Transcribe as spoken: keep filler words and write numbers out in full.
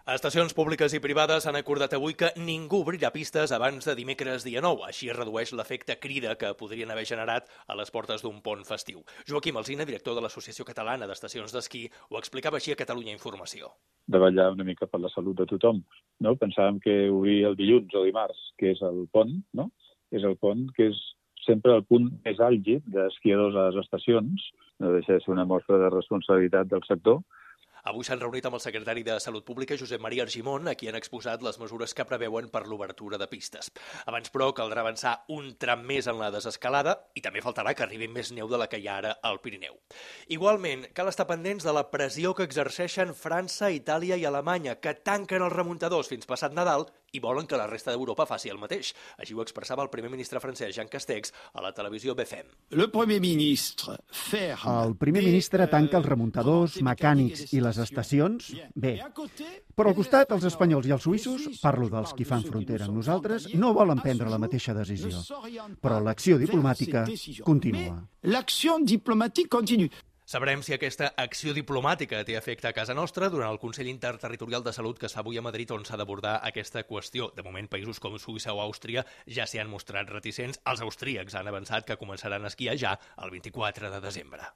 Estacions públiques i privades han acordat avui que ningú obrirà pistes abans de dimecres dia nou. Així es redueix l'efecte crida que podrien haver generat a les portes d'un pont festiu. Joaquim Alsina, director de l'Associació Catalana d'Estacions d'Esquí, ho explicava així a Catalunya Informació. De vetllar una mica per la salut de tothom. No? Pensàvem que obrir el dilluns o dimarts, que és el pont, no? És el pont que és sempre el punt més àlgid d'esquiadors a les estacions. No deixa de ser una mostra de responsabilitat del sector. Avui s'han reunit amb el secretari de Salut Pública, Josep Maria Argimon, a qui han exposat les mesures que preveuen per l'obertura de pistes. Abans, però, caldrà avançar un tram més en la desescalada i també faltarà que arribi més neu de la que hi ha ara al Pirineu. Igualment, cal estar pendents de la pressió que exerceixen França, Itàlia i Alemanya, que tanquen els remuntadors fins passat Nadal i volen que la resta d'Europa faci el mateix. Així ho expressava el primer ministre francès, Jean Castex, a la televisió B F M. El primer ministre El primer ministre tanca els remuntadors, mecànics i les estacions? Bé. Però al costat, els espanyols i els suïssos, parlo dels qui fan frontera amb nosaltres, no volen prendre la mateixa decisió. Però l'acció diplomàtica continua. L'acció diplomàtica continua. Sabrem si aquesta acció diplomàtica té efecte a casa nostra durant el Consell Interterritorial de Salut que es fa avui a Madrid, on s'ha d'abordar aquesta qüestió. De moment, països com Suïssa o Àustria ja s'hi han mostrat reticents. Els austríacs han avançat que començaran a esquiar ja el vint-i-quatre de desembre.